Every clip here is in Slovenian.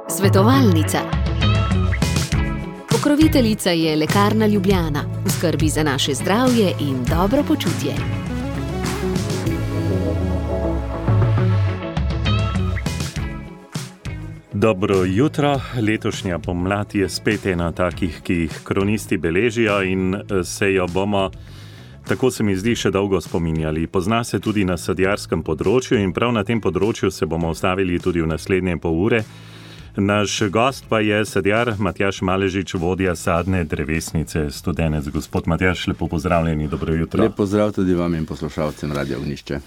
Svetovalnica. Pokroviteljica je Lekarna Ljubljana, v skrbi za naše zdravje in dobro počutje. Dobro jutro, letošnja pomlad je spet ena takih, ki jih kronisti beležijo in se jo bomo, tako se mi zdi, še dolgo spominjali. Pozna se tudi na sadjarskem področju in prav na tem področju se bomo ustavili tudi v naslednje pol ure. Naš gost pa je sadjar Matjaž Maležič, vodja sadne drevesnice Studenec. Gospod Matjaž, lepo pozdravljeni, dobro jutro. Lep pozdrav tudi vam in poslušalcem Radia Ognjišče.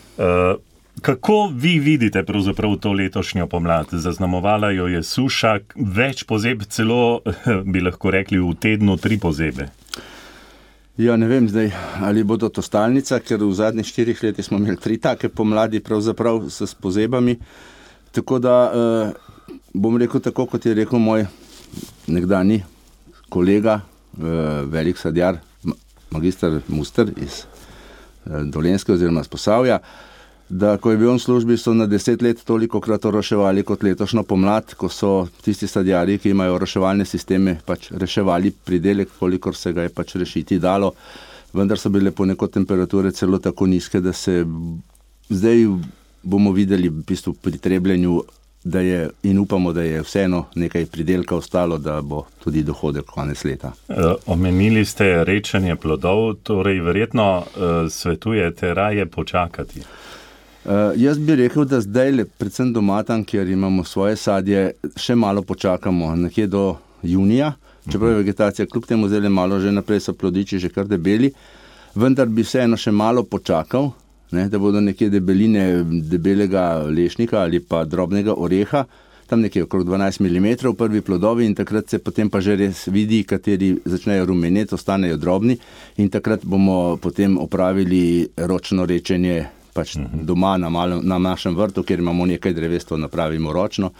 Kako vi vidite pravzaprav to letošnjo pomlad? Zaznamovala jo je suša, več pozeb, celo bi lahko rekli v tednu 3 pozebe. Ja, ne vem zdaj, ali bodo to stalnica, ker v zadnjih 4 letih smo imeli 3 take pomladi pravzaprav s pozebami. Tako da bom rekel tako, kot je rekel moj nekdanji kolega, velik sadjar, magister Muster iz Dolenjske oziroma iz Posavja, da ko je bil on v službi, so na 10 let tolikokrat oroševali kot letošnjo pomlad, ko so tisti sadjarji, ki imajo oroševalne sisteme, pač reševali pridelek, kolikor se ga je pač rešiti dalo. Vendar so bile ponekod temperature celo tako nizke, da se zdaj bomo videli v bistvu pri trebljenju, da je, in upamo, da je vseeno nekaj pridelka ostalo, da bo tudi dohodek konec leta. Omenili ste rečenje plodov, torej verjetno svetujete raje počakati. Jaz bi rekel, da zdaj, predvsem doma tam, kjer imamo svoje sadje, še malo počakamo, nekje do junija, čeprav je vegetacija kljub temu zdaj malo že naprej, so plodiči že kar debeli, vendar bi vseeno še malo počakal, ne, da bodo nekje debeline debelega lešnika ali pa drobnega oreha, tam nekje okrog 12 mm prvi plodovi in takrat se potem pa že res vidi, kateri začnejo rumeneti, ostanejo drobni in takrat bomo potem opravili ročno rečenje pač doma na našem vrtu, kjer imamo nekaj dreves, to napravimo ročno,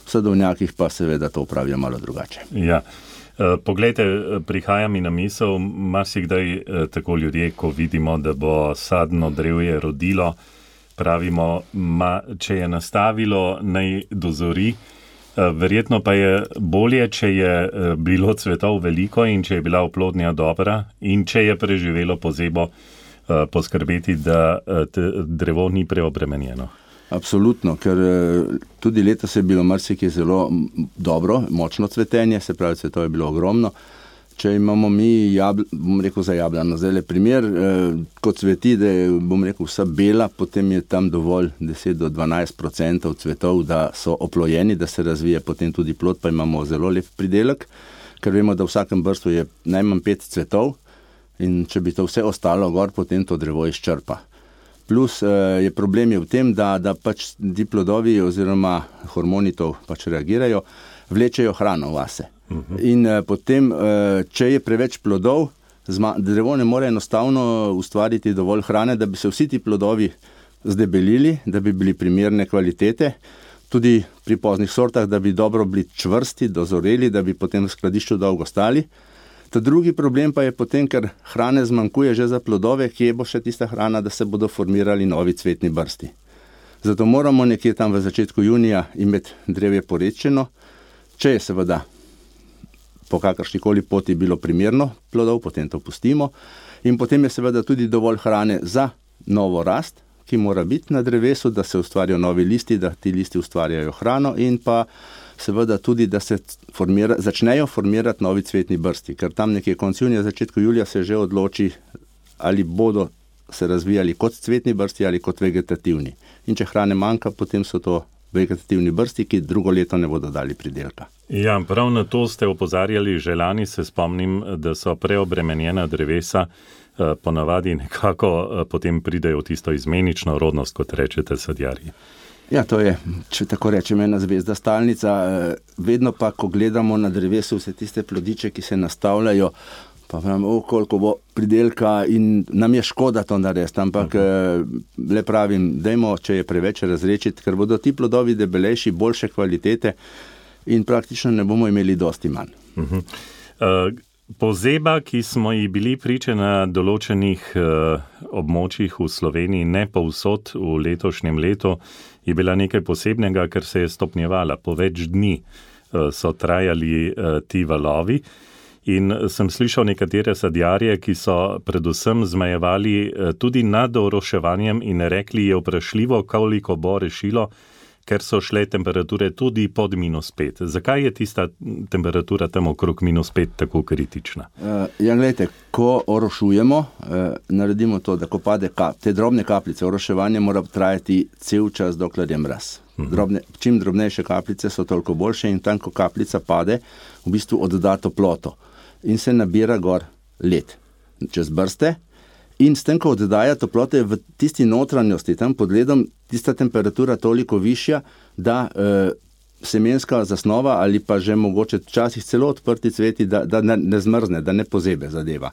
v sadovnjakih pa seveda to opravijo malo drugače. Ja. Poglejte, prihaja mi na misel, marsikdaj tako ljudje, ko vidimo, da bo sadno drevje rodilo, pravimo, če je nastavilo, naj dozori, verjetno pa je bolje, če je bilo cvetov veliko in če je bila oplodnja dobra in če je preživelo pozebo, poskrbeti, da drevo ni preobremenjeno. Absolutno, ker tudi letos je bilo marsikaj zelo dobro, močno cvetenje, se pravi, cvetov je bilo ogromno. Če imamo mi, bom rekel za jablano, zdaj primer, ko cveti, da je, bom rekel, vsa bela, potem je tam dovolj 10 do 12% cvetov, da so oplojeni, da se razvije potem tudi plod, pa imamo zelo lep pridelek, ker vemo, da v vsakem brstu je najmanj 5 cvetov, in če bi to vse ostalo gor, potem to drevo izčrpa. Plus je problem je v tem, da pač ti plodovi oziroma hormoni to pač reagirajo, vlečejo hrano vase. In potem, če je preveč plodov, drevo ne more enostavno ustvariti dovolj hrane, da bi se vsi ti plodovi zdebelili, da bi bili primerne kvalitete, tudi pri poznih sortah, da bi dobro bili čvrsti, dozoreli, da bi potem v skladišču dolgo stali. Ta drugi problem pa je potem, ker hrane zmanjkuje že za plodove, kje bo še tista hrana, da se bodo formirali novi cvetni brsti. Zato moramo nekje tam v začetku junija imeti drevje porečeno, če je seveda po kakršnikoli poti bilo primerno plodov, potem to pustimo in potem je seveda tudi dovolj hrane za novo rast, ki mora biti na drevesu, da se ustvarjajo novi listi, da ti listi ustvarjajo hrano in pa seveda tudi, da se začnejo formirati novi cvetni brsti, ker tam nekje konec junija, začetku julija se že odloči, ali bodo se razvijali kot cvetni brsti ali kot vegetativni. In če hrane manjka, potem so to vegetativni brsti, ki drugo leto ne bodo dali pridelka. Ja, prav na to ste opozarjali že lani, se spomnim, da so preobremenjena drevesa ponavadi nekako potem pridejo v tisto izmenično rodnost, kot rečete sadjarji. Ja, to je, če tako rečem, ena zvezda stalnica. Vedno pa, ko gledamo na drevesu vse tiste plodiče, ki se nastavljajo, pa pravimo, koliko bo pridelka in nam je škoda to narediti, ampak le pravim, dajmo, če je preveč razrečiti, ker bodo ti plodovi debelejši, boljše kvalitete in praktično ne bomo imeli dosti manj. Pozeba, ki smo ji bili priče na določenih območjih v Sloveniji, ne povsod v letošnjem letu, je bila nekaj posebnega, ker se je stopnjevala. Po več dni so trajali ti valovi in sem slišal nekatere sadjarje, ki so predvsem zmajevali tudi nad oroševanjem in rekli, je vprašljivo, koliko bo rešilo, ker so šle temperature tudi pod -5. Zakaj je tista temperatura tam okrog -5 tako kritična? Gledajte, ko orošujemo, naredimo to, da ko pade te drobne kapljice, oroševanje mora trajati cel čas, dokler je mraz. Čim drobnejše kapljice so toliko boljše in tam, ko kapljica pade, v bistvu odda toploto in se nabira gor led čez brste. In s tem, ko oddaja toplote v tisti notranjosti, tam pod ledom, tista temperatura toliko višja, da semenska zasnova ali pa že mogoče včasih celo odprti cveti, da ne zmrzne, da ne pozebe zadeva.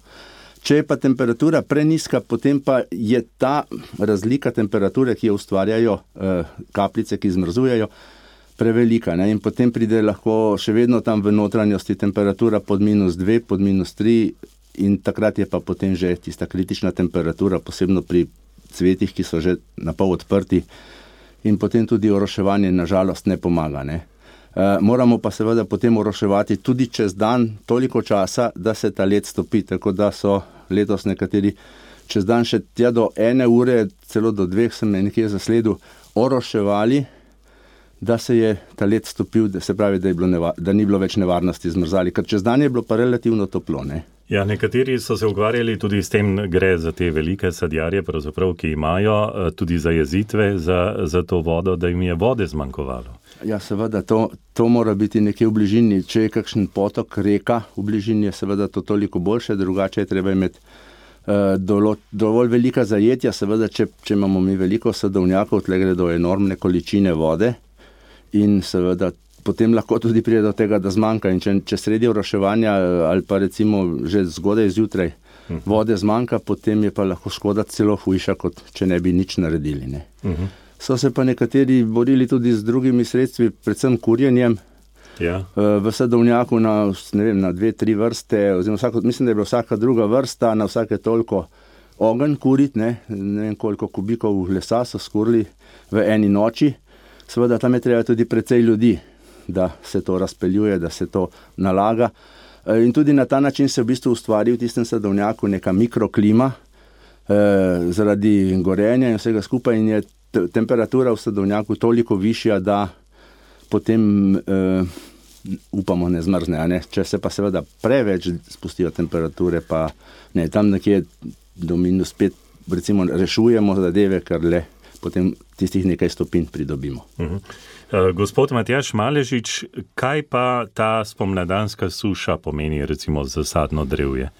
Če je pa temperatura preniska, potem pa je ta razlika temperature, ki jo ustvarjajo kapljice, ki zmrzujejo, prevelika. Ne? In potem pride lahko še vedno tam v notranjosti temperatura pod -2, pod -3, in takrat je pa potem že tista kritična temperatura, posebno pri cvetih, ki so že napol odprti, in potem tudi oroševanje nažalost ne pomaga. Ne? Moramo pa seveda potem oroševati tudi čez dan toliko časa, da se ta led stopi, tako da so letos nekateri čez dan še tja do 1 ure, celo do 2 sem nekje zasledil, oroševali, da se je ta led stopil, da se pravi, da ni bilo več nevarnosti zmrzali, ker čez dan je bilo pa relativno toplo. Ne? Ja, nekateri so se ukvarjali tudi s tem, gre za te velike sadjarje, pravzaprav, ki imajo tudi zajezitve za to vodo, da jim je vode zmanjkovalo. Ja, seveda, to mora biti nekje v bližini. Če je kakšen potok, reka v bližini, je seveda to toliko boljše, drugače je treba imeti dovolj velika zajetja. Seveda, če imamo mi veliko sadovnjakov, tle gre do enormne količine vode in seveda potem lahko tudi pride do tega, da zmanjka. In če sredi oroševanja ali pa recimo že zgodaj zjutraj vode zmanjka, potem je pa lahko škoda celo hujša, kot če ne bi nič naredili. Ne? So se pa nekateri borili tudi z drugimi sredstvi, predvsem kurjenjem. Ja. V sadovnjaku na 2-3 vrste, oziroma mislim, da je bila vsaka druga vrsta, na vsake toliko ogenj kuriti, ne vem koliko kubikov lesa so skurili v eni noči. Seveda tam je treba tudi precej ljudi, da se to razpeljuje, da se to nalaga. In tudi na ta način se v bistvu ustvari v tistem sadovnjaku neka mikroklima zaradi gorenja in vsega skupaj, in je temperatura v sadovnjaku toliko višja, da potem upamo ne zmrzne. Ne? Če se pa seveda preveč spustijo temperature, pa ne, tam nekje do -5 recimo rešujemo zadeve, ker le potem tistih nekaj stopinj pridobimo. Gospod Matjaž Maležič, kaj pa ta spomladanska suša pomeni recimo za sadno drevje,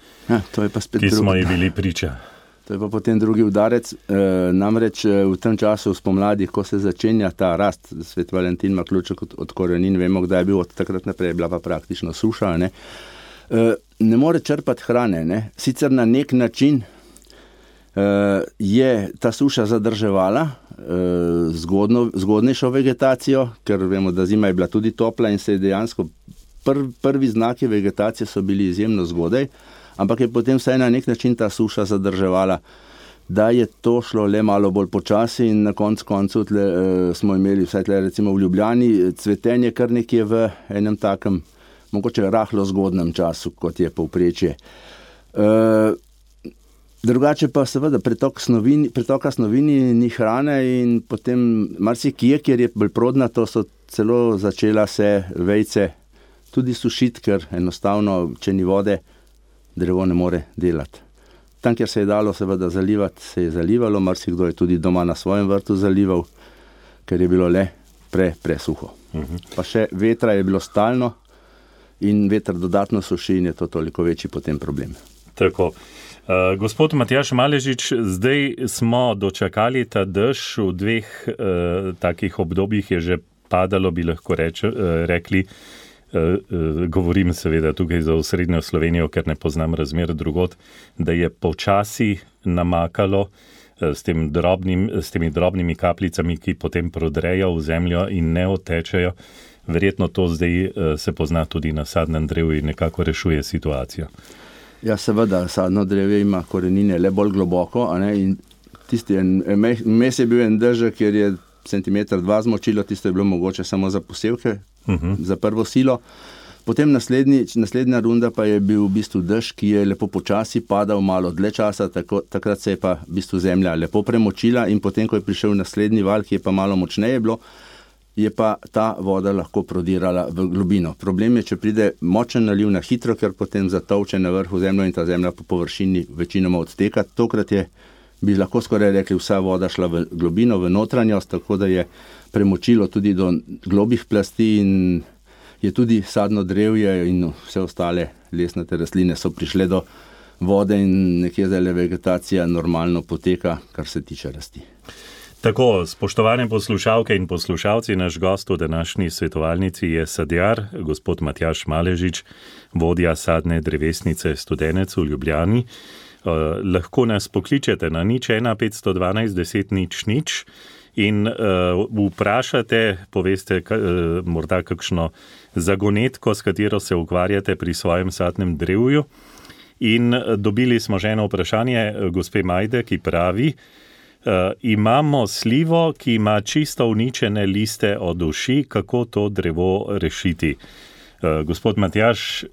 to je pa spet ki smo ji bili priča? To je pa potem drugi udarec. Namreč v tem času spomladi, ko se začenja ta rast, Svet Valentin ima ključek od korenin, vemo, kdaj je bil, od takrat naprej je bila pa praktično suša. Ne more črpati hrane. Ne? Sicer na nek način je ta suša zadrževala zgodnejšo vegetacijo, ker vemo, da zima je bila tudi topla in se je dejansko prvi znaki vegetacije so bili izjemno zgodaj, ampak je potem vsaj na nek način ta suša zadrževala, da je to šlo le malo bolj počasi in na koncu smo imeli vsaj tle recimo v Ljubljani cvetenje kar nekje v enem takem, mogoče rahlo zgodnem času, kot je povprečje. Drugače pa seveda pretoka snovini ni hrane in potem marsikje, kjer je bolj prodnato, so celo začela se vejce tudi sušiti, ker enostavno, če ni vode, drevo ne more delati. Tam, kjer se je dalo seveda zalivati, se je zalivalo, marsikdo je tudi doma na svojem vrtu zalival, ker je bilo le presuho. Pa še vetra je bilo stalno in veter dodatno suši in je to toliko večji potem problem. Tako. Gospod Matjaž Maležič, zdaj smo dočakali ta dež, v 2 takih obdobjih je že padalo, bi lahko rekli, govorim seveda tukaj za osrednjo Slovenijo, ker ne poznam razmer drugod, da je počasi namakalo s temi drobnimi kapljicami, ki potem prodrejo v zemljo in ne odtečejo. Verjetno to zdaj se pozna tudi na sadnem drevju in nekako rešuje situacijo. Ja, seveda, sadno drevje ima korenine le bolj globoko, a ne, in tisti, mes je bil en dežek, kjer je 1,2 centimetra zmočilo, tisto je bilo mogoče samo za posevke, za prvo silo. Potem naslednja runda pa je bil v bistvu dež, ki je lepo počasi padal malo dlje časa, takrat se je pa v bistvu zemlja lepo premočila in potem, ko je prišel naslednji val, ki je pa malo močneje bilo, je pa ta voda lahko prodirala v globino. Problem je, če pride močen naliv na hitro, ker potem zatolče na vrhu zemljo in ta zemlja po površini večinoma odteka. Tokrat bi lahko skoraj rekli, vsa voda šla v globino, v notranjost, tako da je premočilo tudi do globih plasti in je tudi sadno drevje in vse ostale lesnate rastline so prišle do vode in nekje zdaj vegetacija normalno poteka, kar se tiče rasti. Tako, spoštovane poslušalke in poslušalci, naš gost v današnji svetovalnici je sadjar, gospod Matjaž Maležič, vodja sadne drevesnice Studenec v Ljubljani. Lahko nas pokličete na 01 512 10 00 in vprašate, poveste morda kakšno zagonetko, s katero se ukvarjate pri svojem sadnem drevju. In dobili smo že eno vprašanje gospe Majde, ki pravi, imamo slivo, ki ima čisto uničene liste od uši, kako to drevo rešiti? Gospod Matjaž,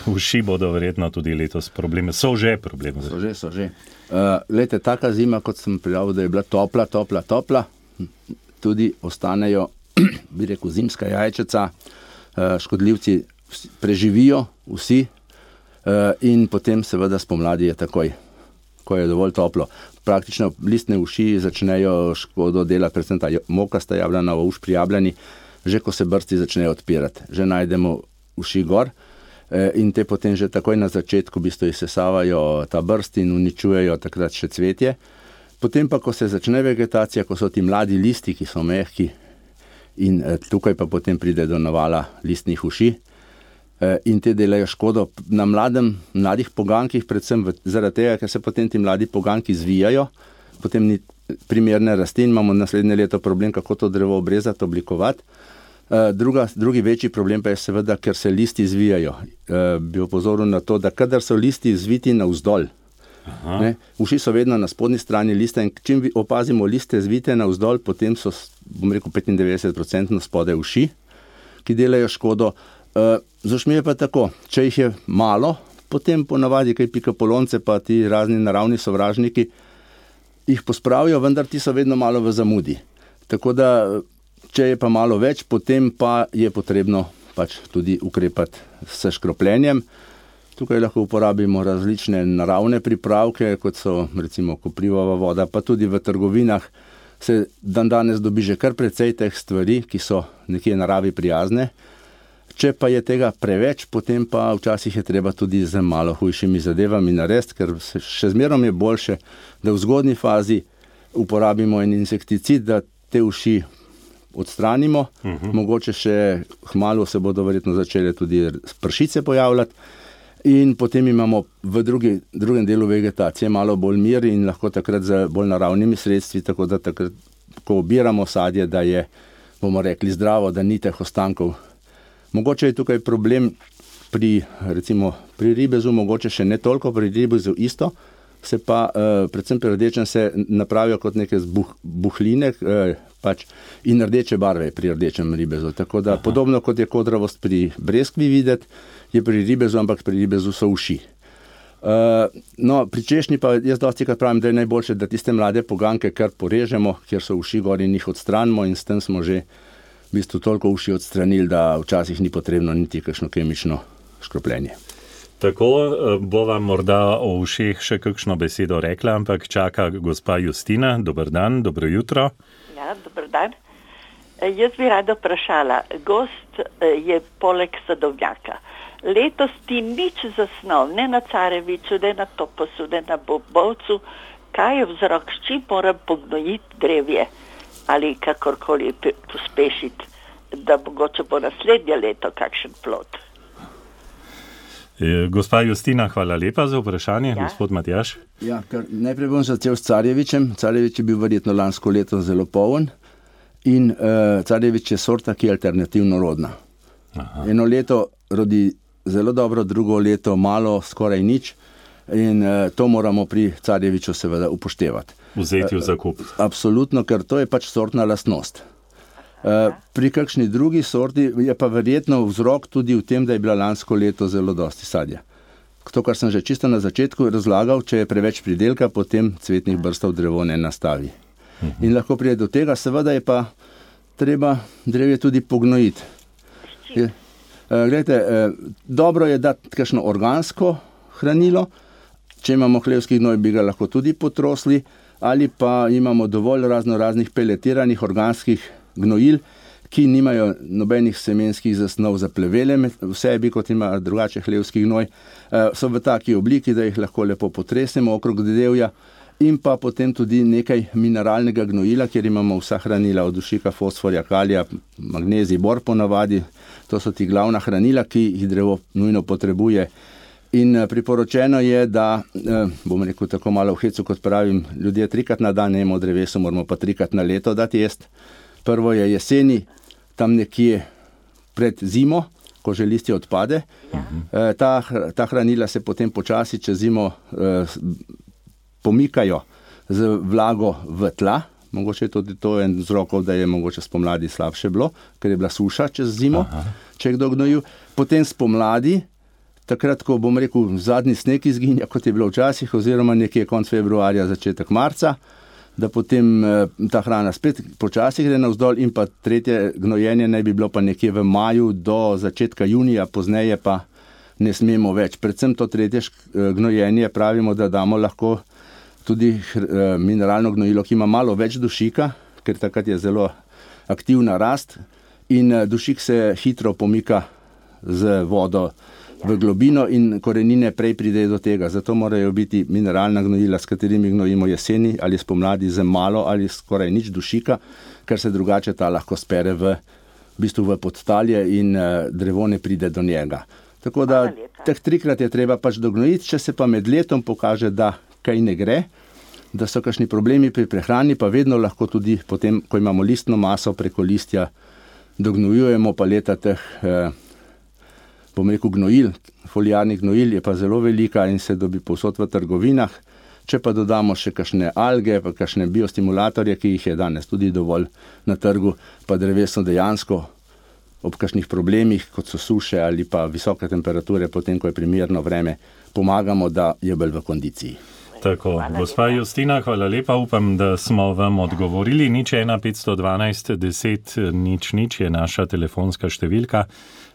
uši bodo verjetno tudi letos probleme. So že probleme. So že. Glejte, taka zima, kot sem prijavil, da je bila topla, tudi ostanejo, bi rekel, zimska jajčeca, škodljivci preživijo vsi in potem seveda spomladi je takoj, ko je dovolj toplo. Praktično listne uši začnejo škodo delati, predvsem ta mokasta jablana uš pri jablani, že ko se brsti začnejo odpirati, že najdemo uši gor in te potem že takoj na začetku v bistvu izsesavajo ta brst in uničujejo takrat še cvetje. Potem pa, ko se začne vegetacija, ko so ti mladi listi, ki so mehki in tukaj pa potem pride do navala listnih uši in te delajo škodo na mladih pogankih, predvsem zaradi tega, ker se potem ti mladi poganki zvijajo, potem ni primerne rasti in imamo naslednje leto problem, kako to drevo obrezati, oblikovati. Drugi večji problem pa je seveda, ker se listi zvijajo. Bi opozoril na to, da kadar so listi zviti navzdol, uši so vedno na spodnji strani lista in čim opazimo liste zvite navzdol, potem so, bom rekel, 95% spodaj uši, ki delajo škodo. Z ušmi je pa tako, če jih je malo, potem ponavadi kaj pikapolonce pa ti razni naravni sovražniki jih pospravijo, vendar ti so vedno malo v zamudi. Tako da, če je pa malo več, potem pa je potrebno pač tudi ukrepati s škropljenjem. Tukaj lahko uporabimo različne naravne pripravke, kot so recimo koprivova voda, pa tudi v trgovinah se danes dobi že kar precej teh stvari, ki so nekje naravi prijazne. Če pa je tega preveč, potem pa včasih je treba tudi z malo hujšimi zadevami narediti, ker še zmerom je boljše, da v zgodnji fazi uporabimo en insekticid, da te uši odstranimo. Mogoče še kmalu se bodo verjetno začele tudi pršice pojavljati. In potem imamo v drugem delu vegetacije malo bolj mir in lahko takrat z bolj naravnimi sredstvi, tako da takrat, ko obiramo sadje, da je, bomo rekli, zdravo, da ni teh ostankov. Mogoče je tukaj problem pri ribezu, mogoče še ne toliko, pri ribezu isto, se pa predvsem pri rdečem se napravijo kot neke buhline in rdeče barve pri rdečem ribezu. Tako da podobno kot je kodravost pri breskvi videti, je pri ribezu, ampak pri ribezu so uši. Pri češnji pa jaz dostikrat pravim, da je najboljše, da tiste mlade poganke kar porežemo, kjer so uši gor in jih odstranimo in s tem smo že v bistvu toliko uši odstranili, da včasih ni potrebno niti kakšno kemično škropljenje. Tako bo vam morda o ušeh še kakšno besedo rekla, ampak čaka gospa Justina. Dober dan, dobro jutro. Ja, dober dan. Jaz bi rada vprašala, gost je poleg sadovnjaka. Letos ti nič zasnov, ne na Careviču, ne na Toposu, ne na Bobovcu, kaj je vzrok, s čim moram pognojiti drevje ali kakorkoli pospešiti, da mogoče bo naslednje leto kakšen plod. Gospa Justina, hvala lepa za vprašanje. Ja. Gospod Matjaž. Ja, najprej bom začel s Carjevičem. Carjevič je bil verjetno lansko leto zelo poln in Carjevič je sorta, ki je alternativno rodna. Aha. Eno leto rodi zelo dobro, drugo leto malo, skoraj nič. In to moramo pri carjeviču seveda upoštevati. Vzeti v zakup. Absolutno, ker to je pač sortna lastnost. Pri kakšni drugi sorti je pa verjetno vzrok tudi v tem, da je bila lansko leto zelo dosti sadja. To, kar sem že čisto na začetku razlagal, če je preveč pridelka, potem cvetnih brstov drevo ne nastavi. In lahko pride do tega, seveda je pa treba drevje tudi pognojiti. Glejte, dobro je dati kakšno organsko hranilo, če imamo hlevski gnoj, bi ga lahko tudi potrosli, ali pa imamo dovolj raznih peletiranih organskih gnojil, ki nimajo nobenih semenskih zasnov za plevele v sebi, kot ima drugače hlevski gnoj. So v taki obliki, da jih lahko lepo potresemo okrog drevja, in pa potem tudi nekaj mineralnega gnojila, kjer imamo vsa hranila od dušika, fosforja, kalija, magnezij, bor ponavadi. To so ti glavna hranila, ki jih drevo nujno potrebuje. In priporočeno je, da, bom rekel tako malo v hecu, kot pravim, ljudje 3-krat na dan jemo drevesu, moramo pa 3-krat na leto dati jesti. Prvo je jeseni, tam nekje pred zimo, ko že listje odpade. Ta hranila se potem počasi čez zimo pomikajo z vlago v tla. Mogoče je tudi to en vzrokov, da je mogoče spomladi slabše bilo, ker je bila suša čez zimo, če je kdo gnojil. Potem spomladi, takrat, ko bom rekel, zadnji sneg izginja, kot je bilo včasih, oziroma nekje konec februarja, začetek marca, da potem ta hrana spet počasi gre navzdol, in pa tretje gnojenje naj bi bilo pa nekje v maju do začetka junija, pozneje pa ne smemo več. Predvsem to tretje gnojenje pravimo, da damo lahko tudi mineralno gnojilo, ki ima malo več dušika, ker takrat je zelo aktivna rast in dušik se hitro pomika z vodo v globino in korenine prej pridejo do tega. Zato morajo biti mineralna gnojila, s katerimi gnojimo jeseni ali spomladi, z malo ali skoraj nič dušika, ker se drugače ta lahko spere v bistvu v podtalje in drevo ne pride do njega. Tako da teh 3-krat je treba pač dognojiti, če se pa med letom pokaže, da kaj ne gre, da so kakšni problemi pri prehrani, pa vedno lahko tudi potem, ko imamo listno maso preko listja, dognojujemo paleta teh bom rekel gnojil, foliarnih gnojil je pa zelo velika in se dobi povsod v trgovinah. Če pa dodamo še kakšne alge, pa kakšne biostimulatorje, ki jih je danes tudi dovolj na trgu, pa dreveso dejansko ob kakšnih problemih, kot so suše ali pa visoke temperature, potem, ko je primerno vreme, pomagamo, da je bolj v kondiciji. Tako, gospa Justina, hvala lepa, upam, da smo vam odgovorili. 01512 10 00 je naša telefonska številka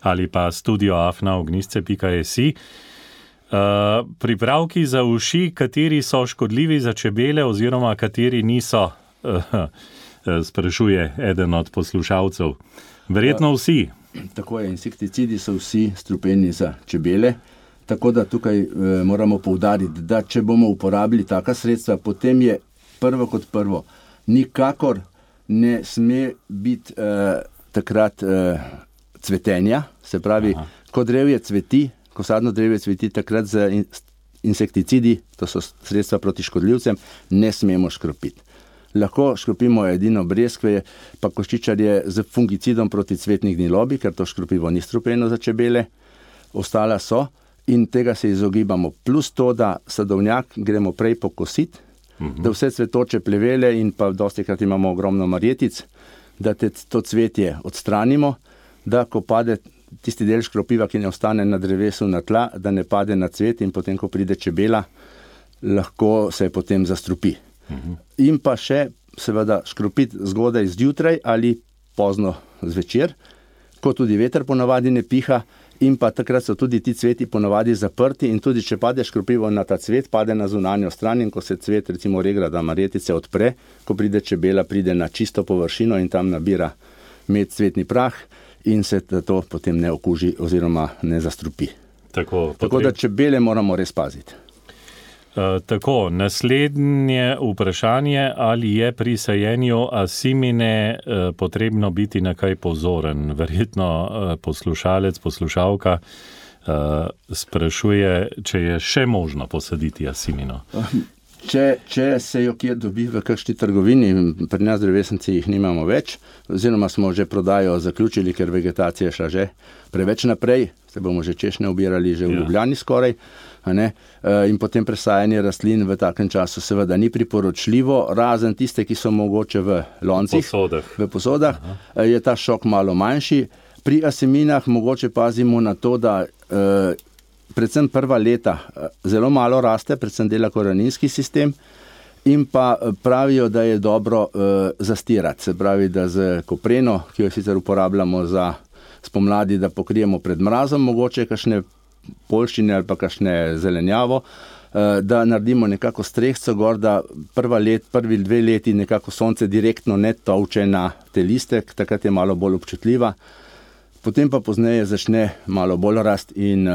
ali pa studio@ognisce.si. Pripravki za uši, kateri so škodljivi za čebele oziroma kateri niso, sprašuje eden od poslušalcev. Verjetno vsi. Tako je, insekticidi so vsi strupeni za čebele. Tako da tukaj moramo poudariti, da če bomo uporabili taka sredstva, potem je prvo kot prvo. Nikakor ne sme biti takrat cvetenja, se pravi, ko drevje cveti, ko sadno drevje cveti, takrat z insekticidi, to so sredstva proti škodljivcem, ne smemo škropiti. Lahko škropimo edino breskve, pa koščičarje z fungicidom proti cvetni gnilobi, ker to škropivo ni strupeno za čebele, ostala so. In tega se izogibamo. Plus to, da sadovnjak gremo prej pokositi, da vse cvetoče plevele in pa dostikrat imamo ogromno marjetic, da to cvetje odstranimo, da ko pade tisti del škropiva, ki ne ostane na drevesu na tla, da ne pade na cvet in potem, ko pride čebela, lahko se potem zastrupi. In pa še seveda škropiti zgodaj zjutraj ali pozno zvečer, ko tudi veter ponavadi ne piha, in pa takrat so tudi ti cveti ponavadi zaprti in tudi če pade škropivo na ta cvet, pade na zunanjo stran in ko se cvet, recimo regrada marjetice odpre, ko pride čebela, pride na čisto površino in tam nabira med cvetni prah in se to potem ne okuži oziroma ne zastrupi. Tako da čebele moramo res paziti. Tako, naslednje vprašanje, ali je pri sajenju asimine potrebno biti na kaj pozoren? Verjetno poslušalec, poslušalka sprašuje, če je še možno posaditi asimino. Če se jo kje dobi v kakšni trgovini, pri nas drevesnici jih nimamo več, oziroma smo že prodajo zaključili, ker vegetacija je šla že preveč naprej, se bomo že češnje obirali že v Ljubljani skoraj, a ne? In potem presajanje rastlin v takem času seveda ni priporočljivo, razen tiste, ki so mogoče v loncih, v posodah, je ta šok malo manjši. Pri aseminah mogoče pazimo na to, da predvsem prva leta zelo malo raste, predvsem dela koreninski sistem, in pa pravijo, da je dobro zastirati. Se pravi, da z kopreno, ki jo sicer uporabljamo za spomladi, da pokrijemo pred mrazom, mogoče kakšne poljščine ali pa kakšne zelenjavo, da naredimo nekako strehco gor, da prvi 2 leti nekako sonce direktno ne tolče na te liste, takrat je malo bolj občutljiva. Potem pa pozneje začne malo bolj rast in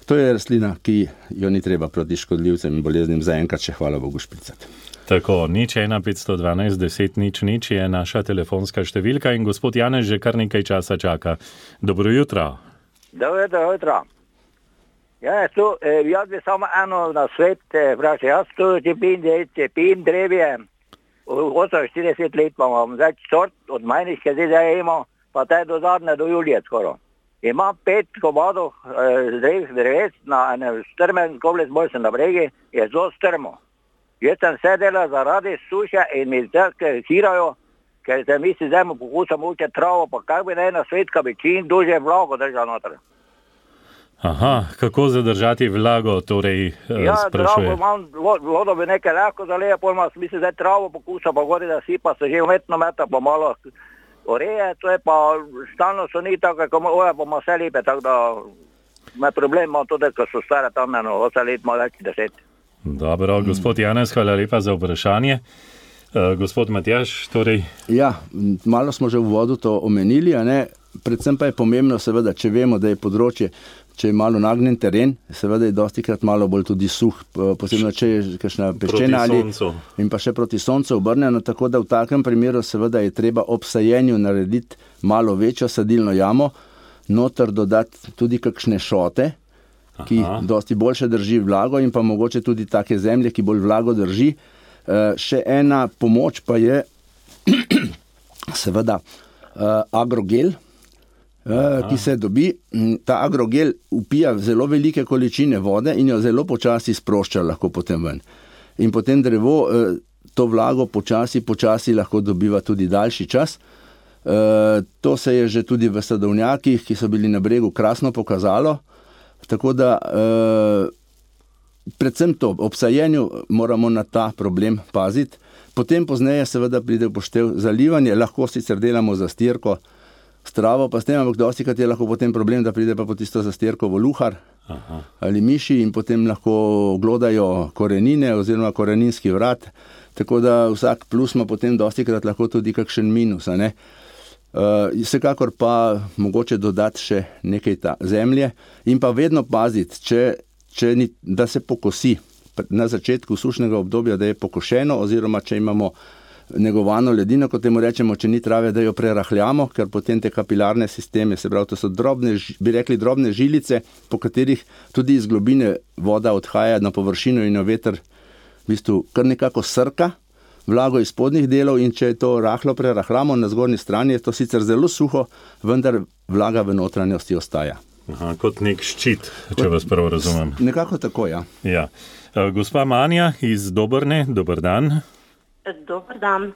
to je rastlina, ki jo ni treba proti škodljivcem in boleznim zaenkrat še hvala Bogu špricati. Tako, 01512 10 0 je naša telefonska številka in gospod Janez že kar nekaj časa čaka. Dobro jutro. Dobro jutro. Jaz bi samo eno na svet vprašal. Jaz tu cepim drevje, 48 let imam, zdaj sort od majniške zdaj imamo, pa te do zadnje do julije skoro. Imam 5 komadov dreves na enem strmen kobles bolj sem na bregi, je zelo strmo. Jaz sem vse delal zaradi suše in mi zdaj hirajo, ker se mi si zdaj pokusam uče travo, pa kak bi naj na svet, ka bi čim duže vlago držal noter. Aha, kako zadržati vlago, torej sprašuje? Travo imam, vodo bi nekaj lahko zaleja, pol ima smisel zdaj travo pokusa, pa gori da sipa se že umetno meta, pa malo oreje, to je pa stalno so ni tako, kako oja pa ima vse lepe, tako da me problem ima tudi, ko so stare tam 8 let, malo več 10. Dobro, gospod Janez, hvala lepa za vprašanje. Gospod Matjaž, torej... Ja, malo smo že v vodu to omenili, a ne? Predvsem pa je pomembno seveda, če vemo, da je področje, če je malo nagnjen teren, seveda je dostikrat malo bolj tudi suh, posebno če je kakšna peščena ali in pa še proti soncu obrnjeno, tako da v takem primeru seveda je treba ob sajenju narediti malo večjo sadilno jamo, noter dodati tudi kakšne šote, ki dosti boljše drži vlago in pa mogoče tudi take zemlje, ki bolj vlago drži. Še ena pomoč pa je seveda agrogel, ki se dobi. Ta agrogel upija zelo velike količine vode in jo zelo počasi sprošča lahko potem ven. In potem drevo to vlago počasi lahko dobiva tudi daljši čas. To se je že tudi v sadovnjakih, ki so bili na bregu, krasno pokazalo. Tako da predvsem to, ob sajenju moramo na ta problem paziti. Potem pozneje seveda pride v poštev zalivanje, lahko sicer delamo zastirko s travo, pa s tem, ampak dostikrat je lahko potem problem, da pride pa po tisto zastirko voluhar ali miši in potem lahko glodajo korenine oziroma koreninski vrat, tako da vsak plus ima potem dostikrat lahko tudi kakšen minus, a ne? Vsekakor pa mogoče dodati še nekaj zemlje in pa vedno paziti, da se pokosi na začetku sušnega obdobja, da je pokošeno, oziroma če imamo negovano ledino, kot temu rečemo, če ni trave, da jo prerahljamo, ker potem te kapilarne sisteme, se pravi, to so drobne žilice, po katerih tudi iz globine voda odhaja na površino in jo veter v bistvu kar nekako srka vlago iz spodnjih delov, in če to rahlo prerahljamo na zgornji strani, je to sicer zelo suho, vendar vlaga v notranjosti ostaja. Kot nek ščit, če vas prav razumem. Nekako tako, ja. Gospa Manja iz Dobrne, dober dan. Dober dan.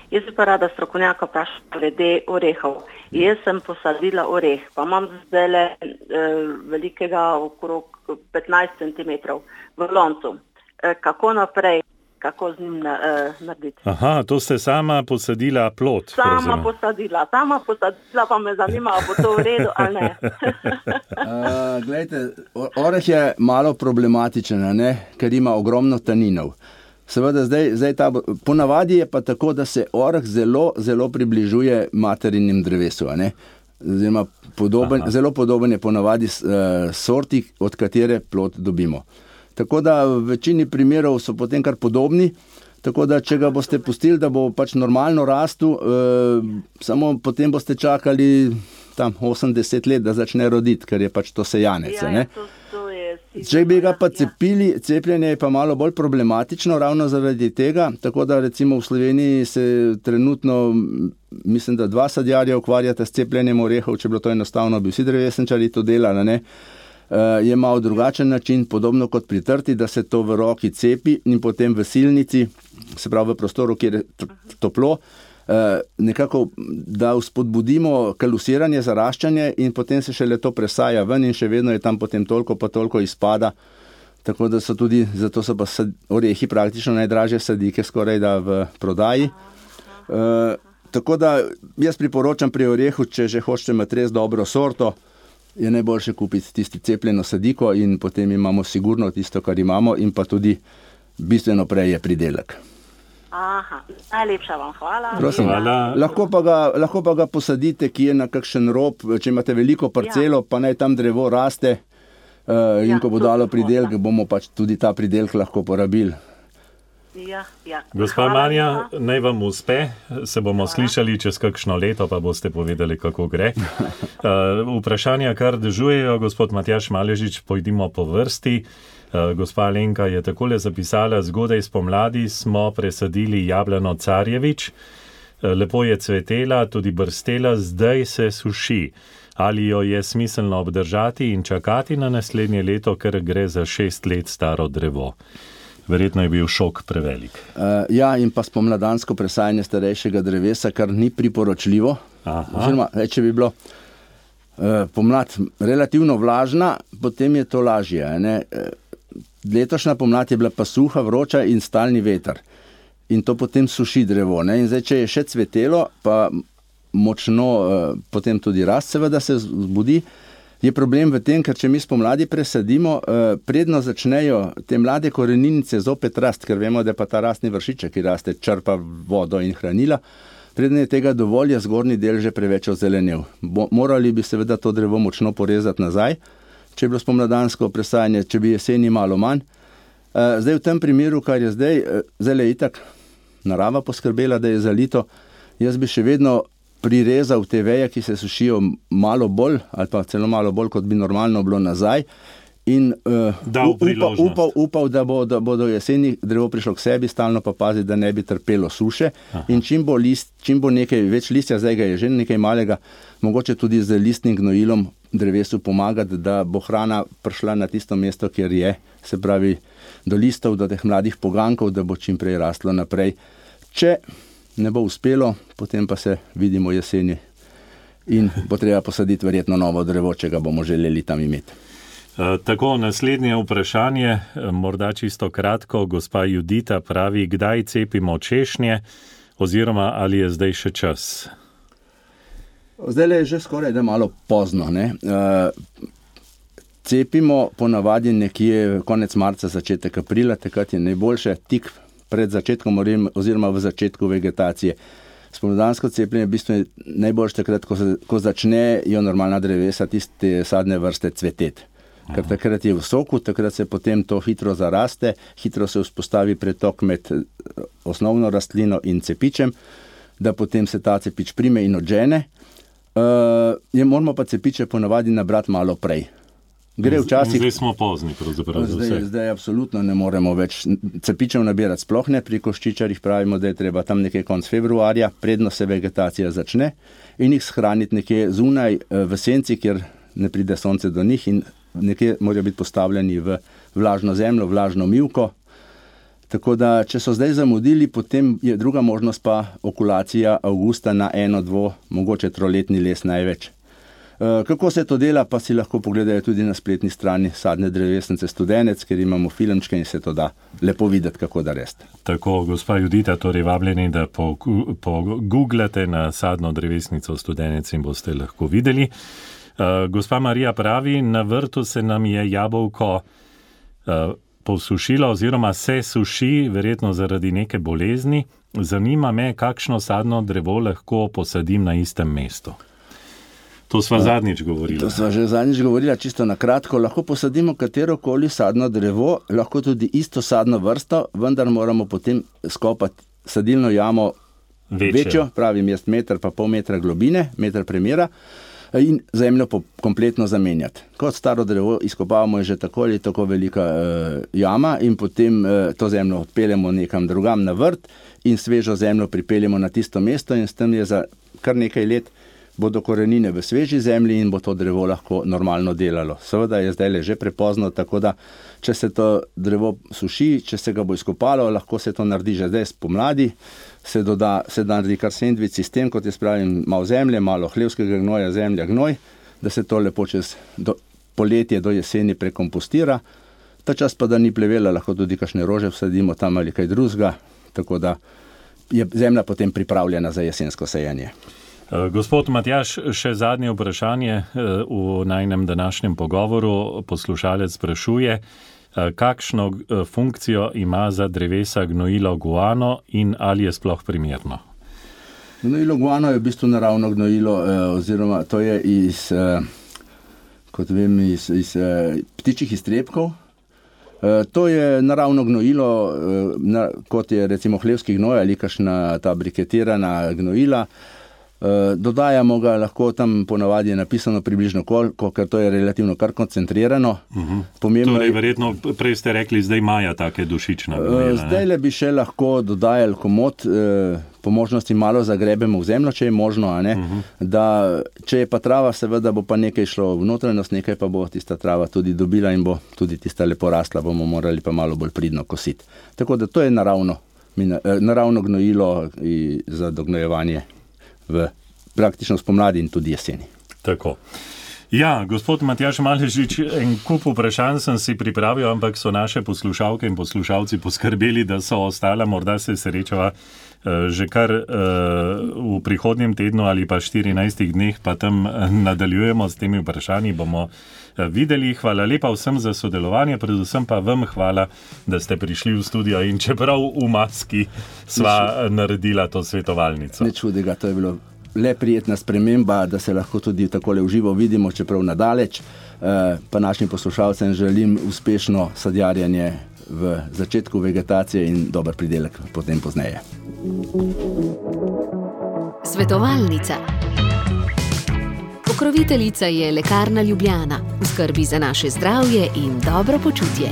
Jaz bi pa rada strokovnjaka vprašala glede orehov. Jaz sem posadila oreh, pa imam zdaj velikega okrog 15 cm v loncu. Kako naprej? Kako z njim narediti? To ste sama posadila plod. Sama posadila, pa me zanima, bo to v redu ali ne. Glejte, oreh je malo problematičen, ne? Ker ima ogromno taninov. Seveda zdaj ponavadi je pa tako, da se oreh zelo, zelo približuje materinim drevesu, a ne? Zelo podoben je ponavadi sorti, od katere plod dobimo. Tako da v večini primerov so potem kar podobni, tako da če ga boste pustili, da bo pač normalno rastel, samo potem boste čakali tam 80 let, da začne roditi, ker je pač to sejanec. Ja, to je Če bi ga pa cepili, cepljenje je pa malo bolj problematično ravno zaradi tega, tako da recimo v Sloveniji se trenutno, mislim, da 2 sadjarja ukvarjata s cepljenjem orehov, če bilo to enostavno, bi vsi drevesničarji to delali, ne? Je malo drugačen način, podobno kot pri trti, da se to v roki cepi in potem v silnici, se pravi v prostoru, kjer je toplo, nekako, da vzpodbudimo kalusiranje, zaraščanje in potem se šele to presaja ven in še vedno je tam potem toliko pa toliko izpada. Tako da so tudi, zato so pa orehi praktično najdražje sadike skoraj da v prodaji. Tako da jaz priporočam pri orehu, če že hočete imeti res dobro sorto, je najboljše kupiti tisti cepljeno sadiko in potem imamo sigurno tisto, kar imamo in pa tudi bistveno prej je pridelek. Aha, najlepša vam hvala. Prosim, lahko pa ga posadite, ki je na kakšen rob, če imate veliko parcelo, pa naj tam drevo raste in ko bo dalo pridelek, bomo pač tudi ta pridelek lahko porabili. Gospa Marija, naj vam uspe, se bomo slišali čez kakšno leto, pa boste povedali, kako gre. Vprašanja kar dežujejo, gospod Matjaž Maležič, pojdimo po vrsti. Gospa Alenka je takole zapisala: zgodaj spomladi smo presadili jablano Carjevič, lepo je cvetela, tudi brstela, zdaj se suši. Ali jo je smiselno obdržati in čakati na naslednje leto, ker gre za 6 let staro drevo? Verjetno je bil šok prevelik. Ja, in pa spomladansko presajanje starejšega drevesa, kar ni priporočljivo. Oziroma, če bi bilo pomlad relativno vlažna, potem je to lažje, ne? Letošnja pomlad je bila pa suha, vroča in stalni veter. In to potem suši drevo, ne? In zdaj, če je še cvetelo, pa močno potem tudi rast seveda se zbudi, je problem v tem, ker če mi spomladi presadimo, predno začnejo te mlade koreninice zopet rast, ker vemo, da pa ta rastni vršiček, ki raste, črpa vodo in hranila, predno je tega dovolj, je zgornji del že preveč ozelenel. Morali bi seveda to drevo močno porezati nazaj, če je bilo spomladansko presajanje, če bi jeseni malo manj. Zdaj v tem primeru, kar je zdaj je itak narava poskrbela, da je zalito, jaz bi še vedno prirezal te veje, ki se sušijo malo bolj, ali pa celo malo bolj, kot bi normalno bilo nazaj, in upal, da bo do jeseni drevo prišlo k sebi, stalno pa paziti, da ne bi trpelo suše. Aha. In čim bo nekaj več listja, zdaj ga je že nekaj malega, mogoče tudi z listnim gnojilom drevesu pomagati, da bo hrana prišla na tisto mesto, kjer je, se pravi do listov, do teh mladih pogankov, da bo čim prej rastlo naprej. Če ne bo uspelo, potem pa se vidimo jeseni in bo treba posaditi verjetno novo drevo, če ga bomo želeli tam imeti. Tako, naslednje vprašanje, morda čisto kratko. Gospa Judita pravi: kdaj cepimo češnje oziroma ali je zdaj še čas? Zdaj je že skoraj da malo pozno, ne? Cepimo ponavadi nekje konec marca, začetek aprila, takrat je najboljše, tik pred začetkom oziroma v začetku vegetacije. Spomladansko cepljenje v bistvu je najboljše takrat, ko začnejo normalna drevesa, tiste sadne vrste cveteti. Ker takrat je v soku, takrat se potem to hitro zaraste, hitro se vzpostavi pretok med osnovno rastlino in cepičem, da potem se ta cepič prime in odžene. Moramo pa cepiče ponavadi nabrati malo prej. Gre včasih... Zdaj smo pozni, pravzaprav za vse. Zdaj absolutno ne moremo več cepičev nabirati, sploh ne. Pri koščičarjih pravimo, da je treba tam nekje konc februarja, predno se vegetacija začne, in jih shraniti nekje zunaj v senci, kjer ne pride sonce do njih, in nekje morajo biti postavljeni v vlažno zemljo, vlažno mivko. Tako da, če so zdaj zamudili, potem je druga možnost pa okulacija avgusta na 1, 2, mogoče 3-letni les največ. Kako se to dela, pa si lahko pogledajo tudi na spletni strani Sadne drevesnice Studenec, ker imamo filmčke in se to da lepo videti, kako da rest. Tako, gospa Judita, torej vabljeni, da pogooglate na Sadno drevesnico Studenec in boste lahko videli. Gospa Marija pravi: na vrtu se nam je jabolko posušilo oziroma se suši, verjetno zaradi neke bolezni. Zanima me, kakšno sadno drevo lahko posadim na istem mestu. To sva zadnjič govorila. To sva že zadnjič govorila, čisto na kratko. Lahko posadimo katerokoli sadno drevo, lahko tudi isto sadno vrsto, vendar moramo potem skopati sadilno jamo večjo, pravim jaz 1,5 metra globine, meter premera. in zemljo kompletno zamenjati. Kot staro drevo izkopavamo, je že tako ali tako velika jama in potem to zemljo odpeljemo nekam drugam na vrt in svežo zemljo pripeljemo na tisto mesto in s tem je za kar nekaj let bodo korenine v sveži zemlji in bo to drevo lahko normalno delalo. Seveda je zdaj že prepozno, tako da če se to drevo suši, če se ga bo izkopalo, lahko se to naredi že zdaj spomladi, se naredi kar sendvič sistem, kot je spravim, malo zemlje, malo hlevskega gnoja, zemlja, gnoj, da se to lepo čez poletje do jeseni prekompostira. Ta čas pa, da ni plevela, lahko tudi kakšne rože vsadimo tam ali kaj drugega, tako da je zemlja potem pripravljena za jesensko sejanje. Gospod Matjaž, še zadnje vprašanje v najnem današnjem pogovoru. Poslušalec sprašuje, kakšno funkcijo ima za drevesa gnojilo guano in ali je sploh primerno? Gnojilo guano je v bistvu naravno gnojilo, oziroma to je iz ptičjih iztrebkov. To je naravno gnojilo, kot je recimo hlevski gnoj ali kakšna ta briketirana gnojila. Dodajamo ga lahko, tam ponavadi je napisano približno koliko, ker to je relativno kar koncentrirano. Torej, verjetno, prej ste rekli, zdaj imajo take dušične gnojila. Zdaj le bi še lahko dodajali komot, po možnosti malo zagrebemo v zemljo, če je možno, da če je pa trava, seveda bo pa nekaj šlo v notranjost, nekaj pa bo tista trava tudi dobila in bo tudi tista lepo rasla, bomo morali pa malo bolj pridno kositi. Tako da to je naravno gnojilo za dognojevanje v praktično spomladi in tudi jeseni. Tako. Ja, gospod Matjaž Maležič, en kup vprašanj sem si pripravil, ampak so naše poslušalke in poslušalci poskrbeli, da so ostala, morda se srečava že kar v prihodnjem tednu ali pa 14 dneh, pa tam nadaljujemo s temi vprašanji, bomo videli. Hvala lepa vsem za sodelovanje, predvsem pa vam hvala, da ste prišli v studio in čeprav v maski sva naredila to svetovalnico. Ne čudega, to je bilo le prijetna sprememba, da se lahko tudi takole v živo vidimo, čeprav nadaleč. Pa našim poslušalcem želim uspešno sadjarjanje v začetku vegetacije in dober pridelek potem pozneje. Svetovalnica. Pokroviteljica je Lekarna Ljubljana, v skrbi za naše zdravje in dobro počutje.